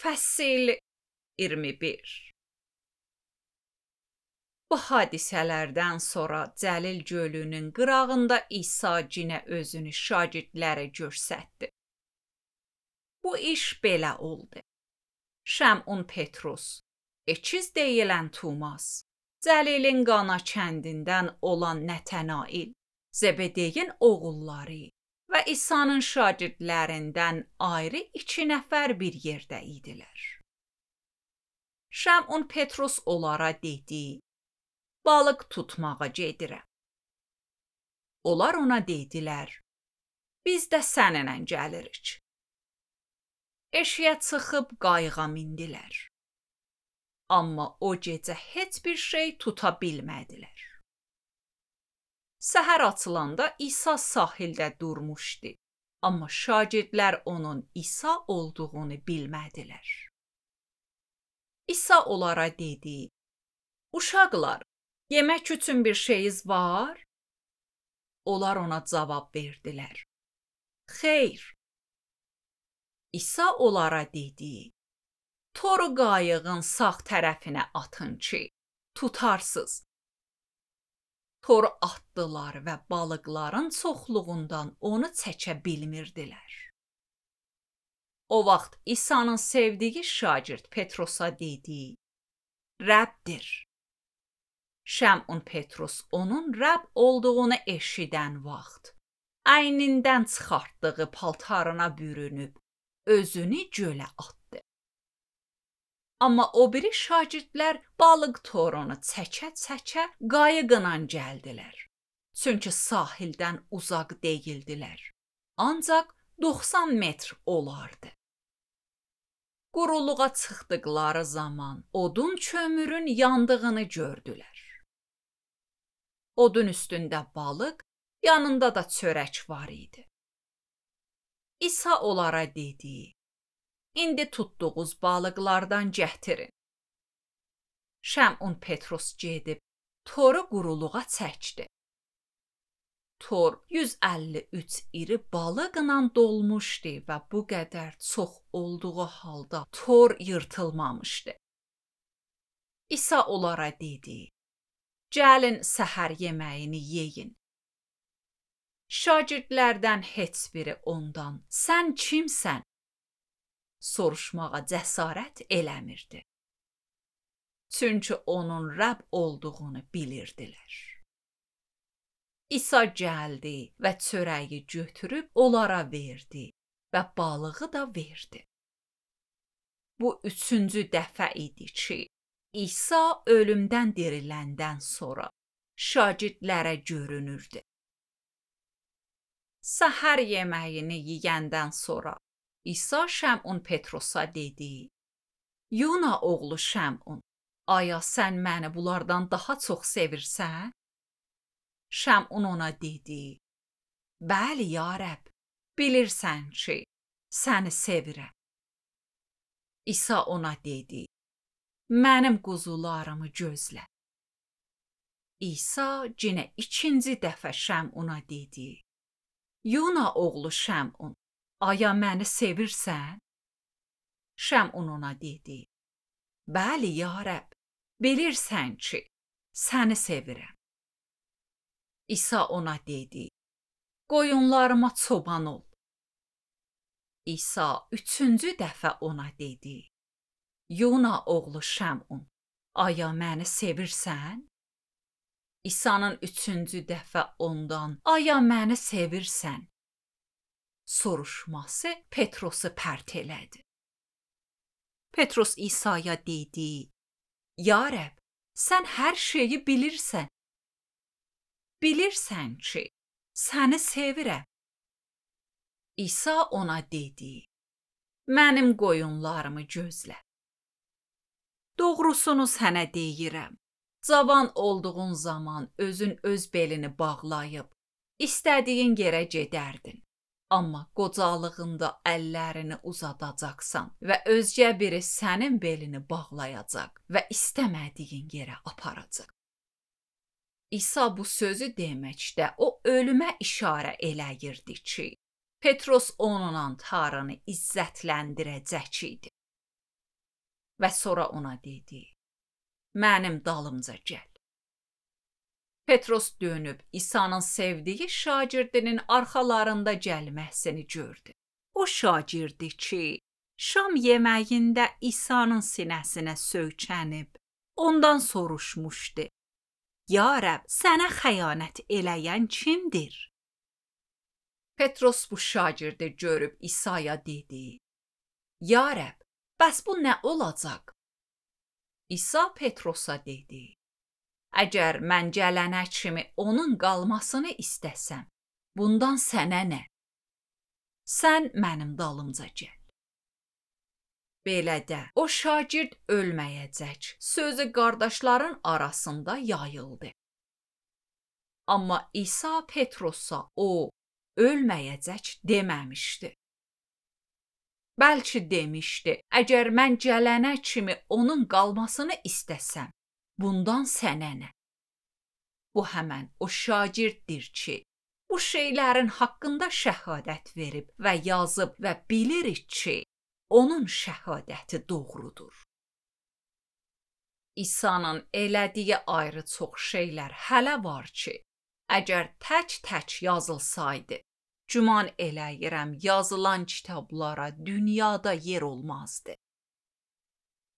Fəsil 21. Bu hadisələrdən sonra Cəlil gölünün qırağında İsa cinə özünü şagirdlərə göstərdi. Bu iş belə oldu. Şəmun Petrus, Ekiz deyilən Tumas, Cəlilin Qana kəndindən olan Nətənail, Zebedeyin oğulları və İsa'nın şagirdlərindən ayrı 2 nəfər bir yerdə idilər. Şəmun Petrus onlara dedi, balıq tutmağa gedirəm. Onlar ona dedilər, biz də səninlə gəlirik. Eşiyə çıxıb qayığa mindilər. Amma o gecə heç bir şey tuta bilmədilər. Səhər açılanda İsa sahildə durmuşdu. Amma şagirdlər onun İsa olduğunu bilmədilər. İsa onlara dedi, uşaqlar, yemək üçün bir şeyiniz var? Onlar ona cavab verdilər, xeyr. İsa onlara dedi, toru qayığın sağ tərəfinə atın ki, tutarsız. Toru atdılar və balıqların çoxluğundan onu çəkə bilmirdilər. O vaxt İsa'nın sevdiyi şagird Petrosa dedi, Rəbdir. Şəmun Petrus onun Rəbb olduğunu eşidən vaxt, əynindən çıxartdığı paltarına bürünüb, özünü gölə atdı. Amma o biri şagirdlər balıq torunu çəkə-çəkə qayıqla gəldilər. Çünki sahildən uzaq deyildilər. Ancaq 90 metr olardı. Quruluğa çıxdıqları zaman odun kömürün yandığını gördülər. Odun üstündə balıq, yanında da çörək var idi. İsa onlara dedi, İndi tutduğunuz balıqlardan gətirin. Şəmun Petrus gedib, toru quruluğa çəkdi. Tor 153 iri balıqla dolmuşdu və bu qədər çox olduğu halda tor yırtılmamışdı. İsa onlara dedi, gəlin səhər yeməyini yeyin. Şagirdlərdən heç biri ondan, sən kimsən? Soruşmağa cəsarət eləmirdi. Çünki onun Rəbb olduğunu bilirdilər. İsa gəldi və çörəyi götürüb onlara verdi və balığı da verdi. Bu 3-cü dəfə idi ki, İsa ölümdən diriləndən sonra şagirdlərə görünürdü. Səhər yeməyini yeyəndən sonra İsa Şəmun Petrusa dedi, Yuna oğlu Şəmun, aya sən məni bunlardan daha çox sevirsən? Şəmun ona dedi, bəli ya Rəbb, bilirsən ki, səni sevirəm. İsa ona dedi, mənim quzularımı gözlə. İsa yenə 2-ci dəfə Şəmuna dedi, Yuna oğlu Şəmun, aya məni sevirsən? Şəmun ona dedi, bəli ya Rəbb, bilirsən ki, səni sevirəm. İsa ona dedi, qoyunlarıma çoban ol. İsa 3-cü dəfə ona dedi, Yuna oğlu Şəmun, aya məni sevirsən? İsa'nın 3-cü dəfə ondan, aya məni sevirsən? Soruşması Petrosu pərt elədi. Petrus İsa'ya dedi, ya Rəbb, sən hər şeyi bilirsən. Bilirsən ki, səni sevirəm. İsa ona dedi, mənim qoyunlarımı gözlə. Doğrusunu sənə deyirəm, cavan olduğun zaman özün öz belini bağlayıb, istədiyin yerə gedərdin. Amma qocalığında əllərini uzadacaqsan və özgə biri sənin belini bağlayacaq və istəmədiyin yerə aparacaq. İsa bu sözü deməkdə o ölümə işarə eləyirdi ki, Petrus onunla Tanrını izzətləndirəcək idi. və sonra ona dedi: "Mənim dalımca gəl." Petros dönüb İsa'nın sevdiyi şagirdinin arxalarında gəlməsini gördü. O şagirdi ki, şam yeməyində İsa'nın sinəsinə söykənib, ondan soruşmuşdu: "Ya Rəbb, sənə xəyanət eləyən kimdir?" Petros bu şagirdi görüb İsa'ya dedi: "Ya Rəbb, bəs bu nə olacaq?" İsa Petrosa dedi: "Əgər mən gələnə kimi onun qalmasını istəsəm, bundan sənə nə? Sən mənim dalımca gəl." Belə də o şagird ölməyəcək sözü qardaşların arasında yayıldı. Amma İsa Petrosa o ölməyəcək deməmişdi. Bəlkə demişdi: "Əgər mən gələnə kimi onun qalmasını istəsəm, bundan sənə nə?" Bu həmən o şagirddir ki, bu şeylərin haqqında şəhadət verib və yazıb və bilirik ki, onun şəhadəti doğrudur. İsa'nın elədiyi ayrı çox şeylər hələ var ki, əgər tək-tək yazılsaydı, güman eləyirəm yazılan kitablara dünyada yer olmazdı.